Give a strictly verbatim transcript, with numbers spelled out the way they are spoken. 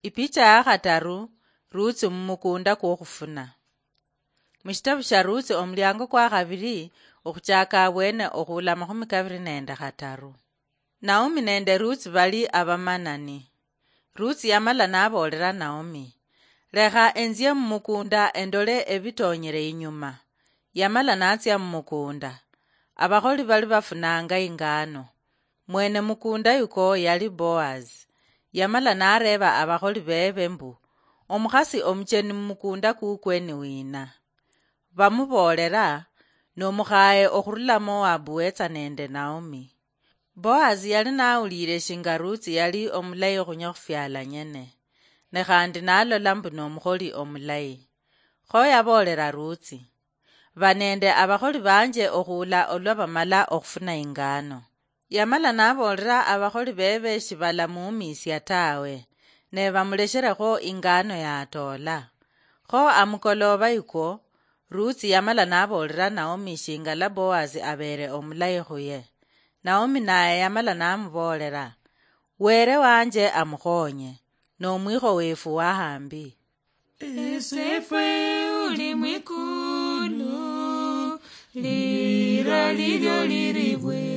Ipicha ya khataru. Ruutsi mumukunda kwokhufuna. Mushitabu sha Ruutsi omuliango kwa khabiri, okhuchaka abwene okhuula amakhumi kabiri nende khataru. Naomi nende Ruutsi bali abamanani. Ruutsi yamala naboolera Naomi, "Lekha enzie mumukunda endole ebitonyere inyuma." Yamala natsia mumukunda. Abakholi bali bafunanga ingano. Mwene mukunda yuko yali Boazi. Yamala nareeba abakholi bebe mbu, "Omukhasi omucheni mumukunda kukwe ni wina?" Bamuboolera, "Nomukhaye okhurula Moabu wetsa nende Naomi." Boazi yali nawuliire shinga Ruutsi yali omulayi khunye khufyala nyene, ne khandi nalola mbu nomukholi omulayi. Kho yaboolera Ruutsi, "Ba nende abakholi banje okhuula olwa bamala okhufuna ingano." Yamala naboolera abakholi bebe shibalamuumisia tawe, ne bamulesherekho ingano yatoola. Kho amukoloba yikwo, Ruutsi yamala naboolera Naomi shingala Boazi abeere omulayi khuye. Naomi naye yamala namuboolera, "Were wanje amukhonye, nomwikho wefu wahambi." Esefwe uli mwikulu, lira lilyo liribwe.